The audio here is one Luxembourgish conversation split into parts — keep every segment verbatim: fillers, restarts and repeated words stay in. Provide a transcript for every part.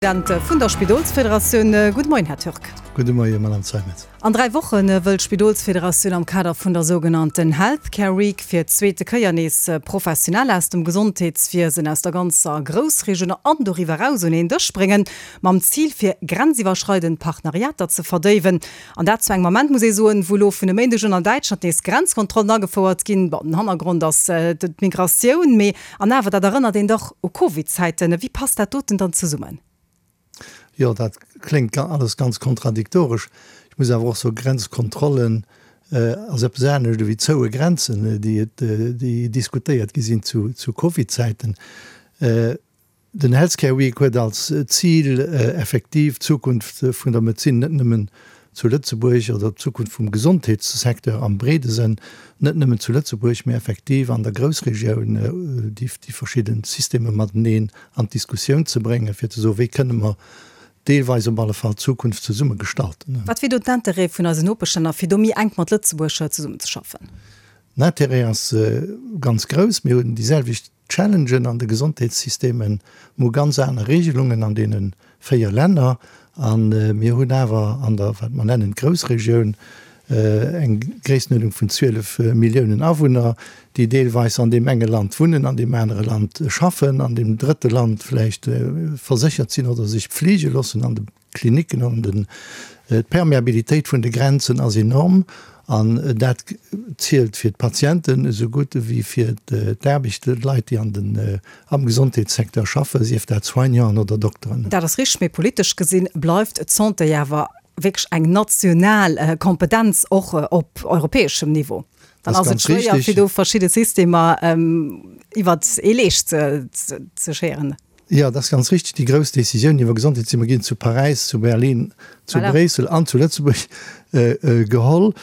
President vun der Spidolsfederatioun. Gudde Moien, Här Türk. Gudde Moien, Madame Zeimetz. An dräi Woche wëll d'Spidolsfederatioun am Kader vun der sougenannten Health Care Week fir d'zweete Kéier nees Professioneller aus dem Gesondheetswiesen aus der ganzer Groussregioun an doriwwer eraus un een Dësch bréngen, mam Zil fir grenziwwerschreidend Partenariater ze verdéiwen. An dat zu engem Ament, muss ee soen, wou elo vun e Méindeg un an Däitschland nees Grenzkontrollen agefouert ginn. Bon, den Hannergrond ass d'Migratioun, mee an awer, dat erënnert een dach u Covid-Zäiten. Wéi passt dat doten dann zesummen? Jo, dat kléngt alles ganz kontradiktoresch. Ech muss awer och soen, Grenzkontrollen ass eppes anescht ewéi zoue Grenzen, déi et, déi diskutéiert gi sinn zu, zu Covid-Zäiten. Den Health Care Week huet als Zil, effektiv d'Zukunft vun der Medezin net nëmmen zu Lëtzebuerg oder d'Zukunft vum Gesondheetssecteur am breede Sënn net nëmmen zu Lëtzebuerg, mä effektiv an der Groussregioun déi verschidde Systemer mateneen an d'Diskussioun ze bréngen, fir ze soen, wéi kënne mer deelweis op alle Fall d'Zukunft zesumme gestalten. Wat wier do d'Intérêt vun eisen Nopeschlänner, fir do méi enk mat Lëtzebuerg zesummenzeschaffen? Den Intérêt ass ganz grouss. Mir hunn déi selwecht Challengen an de Gesondheetssystemen, mir hu ganz aner Regelungen an deene véier Länner a mir hunn awer an der, wat mer nennen, Groussregioun eng Gréisstenuerdnung vun zwielef Milliounen Awunner, déi deelweis an deem enge Land wunnen, an deem anere Land schaffen, an deem drëtte Land vläicht verséchert sinn oder sech pfleege loossen an de Klinicken an den. D'Permeabilitéit vun de Grenzen ass enorm an dat zielt fir d'Patienten esou gutt ewéi fir d'Aarbecht, d'Leit, déi an den, am Gesondheetssecteur schaffen, sief dat Soignanten oder Dokteren. Dat ass richteg, mee politesch gesinn bleift d'Santé awer wierklech eng national Kompetenz, och op europäeschem Niveau. Dann ass et schwéier, fir do verschidde Systemer iwwert ee Leescht ze schéieren. Jo, dat ass ganz richtig. Déi grouss Décisiounen iwwer Gesondheetssystemer ginn zu Paräis, zu Berlin, zu Bréissel an zu Lëtzebuerg geholl.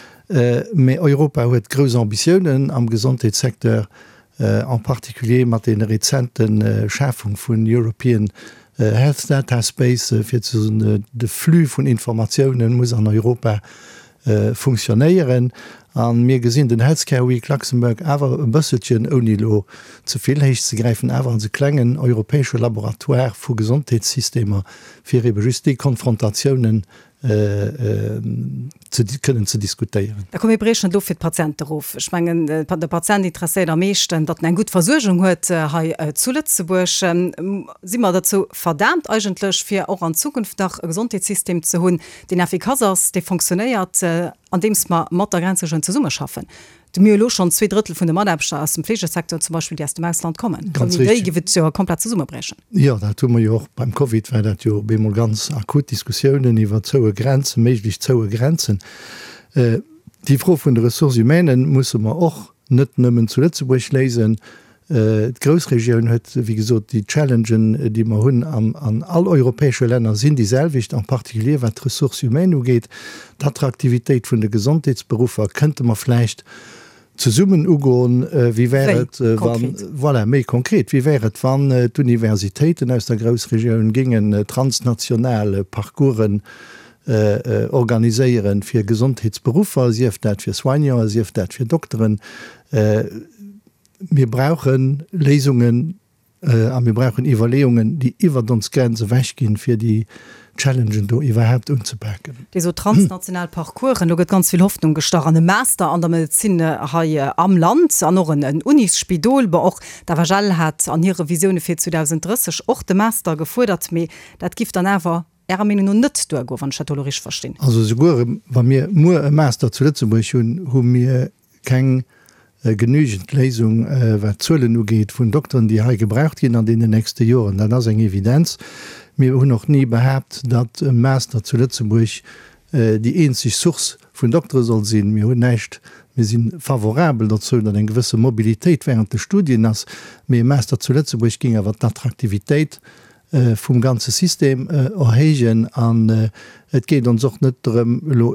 Mä Europa huet grouss Ambitiounen am Gesondheetssecteur, en particulier mat deene rezente Schafung vun European Health Data Space, fir ze soen, de Flux vun Informatiounen muss an Europa funktionéieren. A mir gesinn den Health Care Week Luxembourg awer e bësselchen, ouni elo ze vill héich ze gräifen, awer als e klengen europäesche Laboratoire vu Gesondheetssystemer, fir ebe just déi Konfrontatiounen ze kënnen ze diskutéieren. Da komm mir briechen et of fir d'Patiente erof. Ech mengen, de Patient interesséiert am meeschten, datt en eng gutt Versuergung huet hei zu Lëtzebuerg. Si mer derzou verdaamt eigentlech, fir och an Zukunft nach e Gesondheetssystem ze hunn, deen effikass ass, dee fonctionnéiert, andeems mer mat der Grenzregioun zesummeschaffen? Do mir elo schonn zwee Drëttel vun de Mataarbechter aus dem Fleegesecteur zum Beispill, déi aus dem Ausland kommen. Ganz Ouni déi richtig. géif et jo komplett zesummebriechen. Jo, dat hu mer jo och beim Covid, war dat jo op eemol ganz akut, Diskussiounen iwwer zoue Grenzen, méiglech zoue Grenzen. Déi Fro vun de Ressources humaines musse mer och net nëmmen zu Lëtzebuerg léisen. D'Groussregioun huet, wéi gesot, déi Challengen, déi mer hunn an all europäesche Länner, sinn déi selwecht, en particulier wat d'Ressources humaines ugeet. D'Attraktivitéit vun de Gesondheetsberuffer kënnte mer vläicht zesummen ugoen. Wéi wär et, wann, voilà, méi konkret, wéi wär et, wann d'Universitéiten aus der Groussregioun géingen transnational Parcoursen organiséieren fir Gesondheetsberuffer, sief dat fir Soignanten, sief dat fir Dokteren? Mir brauche Léisungen a mir brauchen Iwwerleeungen, déi iwwert ons Grenz ewechginn, fir déi Challengen do iwwerhaapt unzepaken. Dir sot transnational Parcoursen, do gëtt ganz vill Hoffnung gestach an e Master an der Medezin hei am Land an och en Unisspidol. Bon, och d'FHL hat an hire Visioune fir zweedausenddrësseg och de Master gefuerdert, mee dat giff dann awer Ärer Meenung no net duergoen, wann ech dat do elo richteg verstinn. Also souguer wa mir muer e Master zu Lëtzebuerg hunn, hu mir keng genügend Léisung, wat d'Zuelen ugeet vun Dokteren, déi hei gebraucht ginn an deenen nächste Joren. Dat ass eng Evidenz. Mir hunn och ni behaapt, datt e Master zu Lëtzebuerg déi eenzeg Source vun Doktere soll sinn. Mir hunn näischt, mir si favorabel dozou, datt eng gewësse Mobilitéit während de Studien ass, mee e Master zu Lëtzebuerg géing awer d'Attraktivitéit vum ganze System erhéijen. An et geet ons och net drëm, elo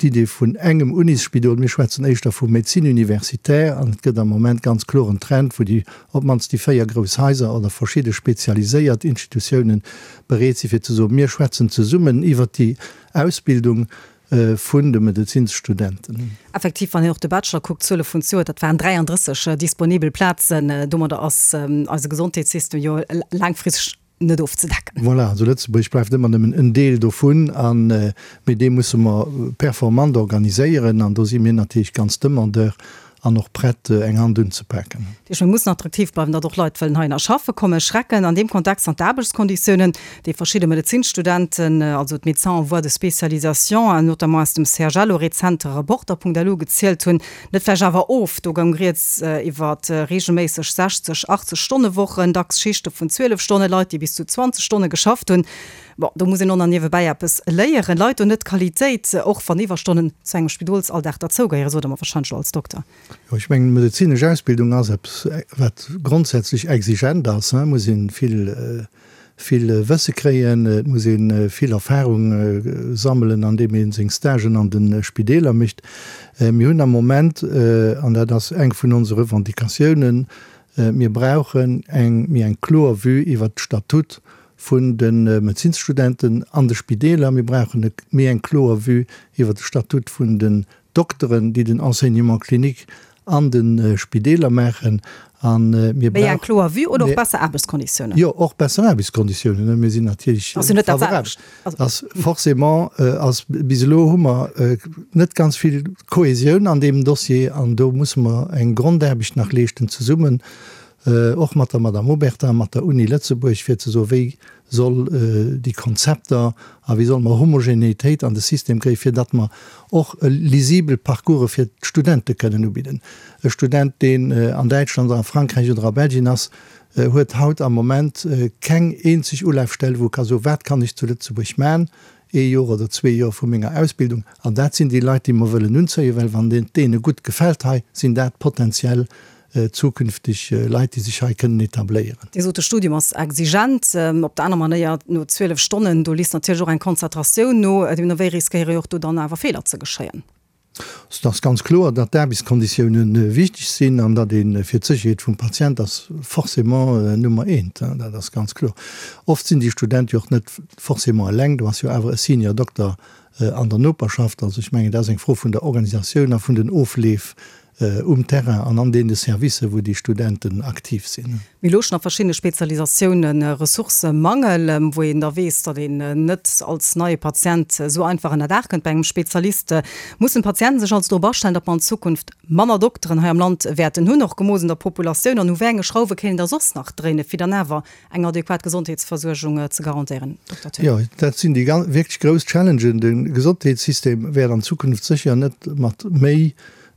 d'Idee vun engem Unisspidol, mir schwätzen éischter vu Médecine universitaire, an et gëtt am Moment ganz kloer en Trend, wou déi, op d'mannst déi véier grouss Haiser oder verschidde spezialiséiert Institutiounen bereet si fir ze soen, mir schwätzen zesummen iwwert déi Ausbildung vun de Medezinsstudenten. Effektiv, wann een och de Bachelor kuckt, d'Zuele vun zejoert, dat waren dräiandrësseg disponibel Plazen. Domadder ass eise Gesondheetssystem jo laangfristeg net ofzedecken. Voilà, also Lëtzebuerg bleift ëmmer nëmmen en Deel dovun an mee dee musse mer performant organiséieren an do si mir natierlech ganz demandeur an och prett eng Hand unzepaken. Dat heescht, mir mussen attraktiv bleiwen, datt och Leit wëllen heihinner schaffe kommen. Schrecken an deem Kontext an d'Aarbechtskonditiounen, déi verschidde Medezinsstudenten, also d'Médecins en voie de spécialisation, notamment aus dem C H L o rezent Reporter Punkt L U gezielt hunn, net vläicht awer of. Do goung rieds iwwer reegelméisseg sechzeg, achtzeg Stonne Wochen, dacks Schichte vun zwielef Stonne, Leit, déi bis zu zwanzeg Stonne geschafft hunn. Bon, do muss een och nach niewebäi eppes léieren. Leit do net d'Qualitéit, och wann Iwwerstonnen zu engem Spidolsalldag derzougehéieren, sot Der mer warscheinlech elo als Dokter. Jo, ech mengen, d'medezinesch Ausbildung ass eppes, wat grondsätzlech exigent ass. Et muss ee vill, vill Wësse kréien, et muss ee vill Erfahrung sammelen, andeem ee seng Stagen an de Spideeler mécht. Mir hunn am Moment, an dat ass eng vun onse Revendicatiounen, mir brauchen eng méi eng kloer Vue iwwert d'Statut vun de Medezinsstudenten an de Spideeler. Mir brauchen méi eng kloer Vue iwwert de Statut vun den Dokteren, déi den Enseignement clinique an de Spideeler maachen. A mir Méi eng kloer Vue oder och besser Aarbechtskonditiounen? Jo, och besser Aarbechtskonditiounen. Mir sinn natierlech favorabel. Ass forcément, ass bis elo hu mer net ganz vill Kohesioun an deem Dossier an do musse mer eng Grondaarbecht nach leeschten zesummen, och mat der Madame Obertin, mat der Uni Lëtzebuerg, fir ze soen, wéi soll déi Konzepter a wéi solle mer Homogenéitéit an de System kréien, fir datt mer och lisibel Parcourse fir d'Studente kënnen ubidden. E Student, deen an Däitschland oder a Frankräich oder a Belgien ass, huet haut am Moment keng eenzeg Ulafstell, wou e ka soen, wat kann ech zu Lëtzebuerg maachen, ee Joer oder zwee Joer vu menger Ausbildung. An dat sinn déi Leit, déi mer wëllen unzéien, well wann et deene gutt gefält hei, sinn dat potenziell zukünfteg Leit, déi sech hei kënnen etabléieren. Dir sot, de Studium ass exigent. Op der aner Manéier, no zwielef Stonnen, do lisst natierlech och eng Konzentratioun no. Deemno wéi riskéiere jo och do dann awer Feeler ze geschéien. Et ass ganz kloer, datt d'Aarbechtskonditiounen wichteg sinn an datt ee fir d'Sécherheet vum Patient ass forcément Nummer eent. Dat ass ganz kloer. Oft sinn déi Studente jo och net forcément eleng. Do ass jo awer e Senior Dokter an der Noperschaft. Also ech mengen, dat ass eng Fro vun der Organisatioun a vun den Ofleef um Terrain an an deene Servicer, wou déi Studenten aktiv sinn. Mir luschen a verschiddene Spezialisatiounen Ressourcëmangel, wou een da weess, datt een net als neie Patient esou einfach ënnerdaach kënnt bei engem Spezialist. Mussen d'Patienten sech also drop astellen, datt mer an Zukunft manner Dokteren hei am Land wäerten hunn, och gemooss un der Populatioun? An u wéi enge Schrauwe kéint een da soss nach dréinen, fir dann awer eng adequat Gesondheetsversuergung ze garantéieren, Dokter Thill? Jo, dat sinn déi wierklech grouss Challengen. De Gesondheetssystem wäert an Zukunft sécher net mat méi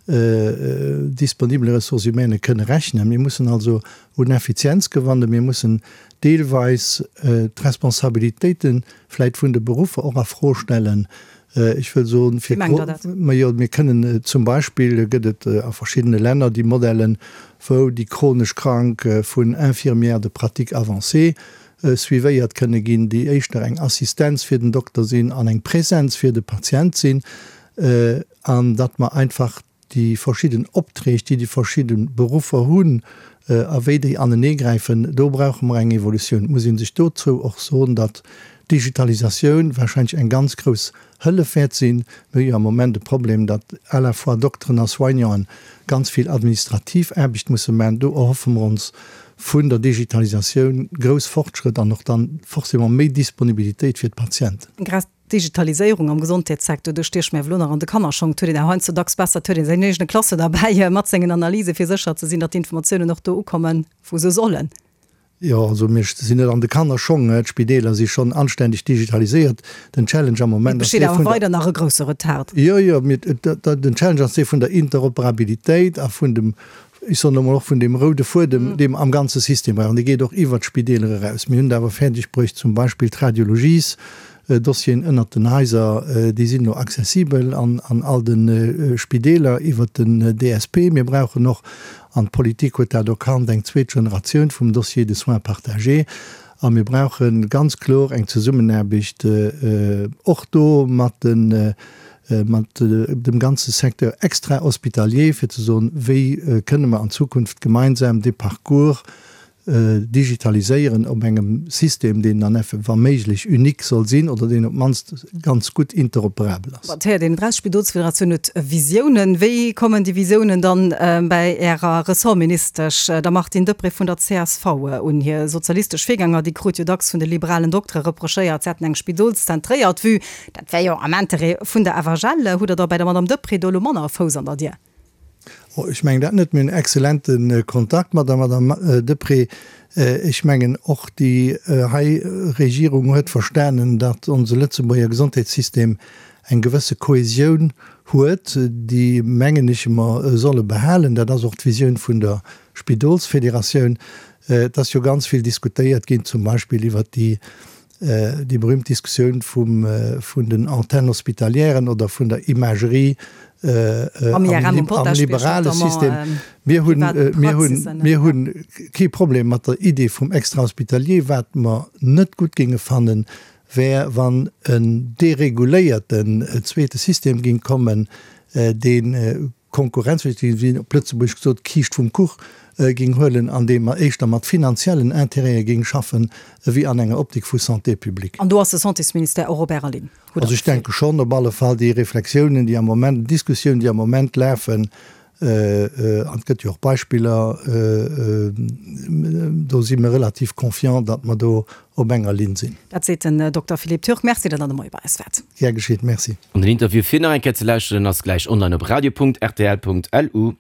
disponibele Ressources humaines kënne rechnen. Mir mussen also un Effizienz gewannen, mir mussen deelweis d'Responsabilitéite vläicht vun de Beruffer och a Fro stellen. Ech wëll soen, fir Wéi mengt Der dat? Majo, mir kënnen zum Beispill, gëtt et a verschiddene Länner déi Modellen, wou déi chronesch Krank vun Infirmières de pratique avancée suivéiert kënne ginn, déi éischter eng Assistenz fir den Dokter sinn an eng Präsenz fir de Patient sinn, an datt mer einfach déi verschidden Opträg, déi déi verschidde Beruffer hunn, a wéi déi aneneegräifen, do brauche mer eng Evolutioun. Et muss ee sech dozou och soen, datt d'Digitalisatioun wahrscheinlech eng ganz grouss Hëllef wäert sinn. Mir hu jo am Moment e Problem, datt à la fois Dokteren a Soignanten ganz vill administrativ Aarbecht musse maachen. Do erhoffe mer ons vun der Digitalisatioun grouss Fortschrëtt an och dann forcément méi Disponibilitéit fir d'Patienten. Grad d'Digitaliséierung am Gesondheetssecteur, do stiech mir elo nach an de Kannerschong. Et huet een awer heiansdo dacks besser, et huet een säin eegene Klasse derbäi mat sengen Analysen, fir sécher ze sinn, datt d'Informatiounen och do ukommen, wou se sollen. Jo, also mir sinn net an de Kannerschong. D'Spideeler si schonn anständeg digitaliséiert. Den Challenge am Moment ass dee vun der. Et besteet awer weider nach e grousse Retard. Jo, jo, mee den Challenge ass dee vun der Interoperabilitéit a vun dem, ech soen emol, och vun deem roude Fuedem, dee mer am ganze System brauchen. Dee geet och iwwert d'Spideeler eraus. Mir hunn et awer fäerdeg bruecht, zum Beispill d'Radiologies, Dossieren ënnert den Haiser, déi sinn elo accessibel an all de Spideeler iwwert den D S P. Mir brauchen och, an d'Politik huet dat erkannt, eng zweet Generatioun vum Dossier de soins partagé. A mir brauche ganz kloer eng Zesummenaarbecht och do mat de mat dem ganze Secteur extra-hospitalier, fir ze soen, wéi kënne mer an Zukunft gemeinsam dee Parcours digitaliséieren op engem System, deen dann effe wa méiglech unique soll sinn oder deen op d'mannst ganz gutt interoperabel ass. Et héiert een eraus, D'Spidolsfederatioun huet Visiounen. Wéi kommen déi Visiounen dann bäi Ärer Ressortministesch, der Martine Deprez vun der csv, un? Hir sozialistesch Virgänger, déi krut jo dacks vun de liberalen Doktere reprochéiert, se hätten eng spidolszentréiert Vue. Dat wär jo am Interêt vun der FHL. Hutt Der da bei der Madame Deprez do elo manner e Fouss an der Dier? Oh, ech mengen dat net. Mir hunn exzellente Kontakt mat der Madame Deprez. Ech mengen och déi hei Regierung huet verstanen, datt onse Lëtzebuerger Gesondheetssystem eng gewësse Kohesioun huet, déi, mengen ech, mer solle behalen. Dat ass och d'Visioun vun der Spidolsfederatioun. Et ass jo ganz vill diskutéiert ginn, zum Beispill iwwert déi déi berühmt Diskussioun vum, vun den Antennes hospitalièren oder vun der Imagerie am liberale System. Mir hunn, mir hunn, mir hunn kee Problem mat der Idee vum Extra-hospitalier. Wat mer net gutt géinge fannen, wär, wann en dereguléierten zweete System géing kommen, dee Konkurrenz, wéi op Lëtzebuergesch gesot, d'Kiischt vum Kuch géing huelen, an deem mer éischter mat finanziellen Intérêtë géing schaffen, ewéi an enger Optik vu Santé publique. An do ass de Santésministère och op Ärer Linn, hutt Der Also ech d'Gefill? denke schonn, op alle Fall déi Reflexiounen, déi am Moment, Diskussiounen, déi am Moment lafen, an et gëtt jo och Beispiller, do si mer relativ confiant, datt mer do op enger Linn sinn. Dat seet den Dokter Philippe Türk. Merci, datt Der de Moie bei eis waart. Gär geschitt. Merci. An den Interview fir nach eng Kéier ze lauschteren ass gläich online op radio.rtl.lu.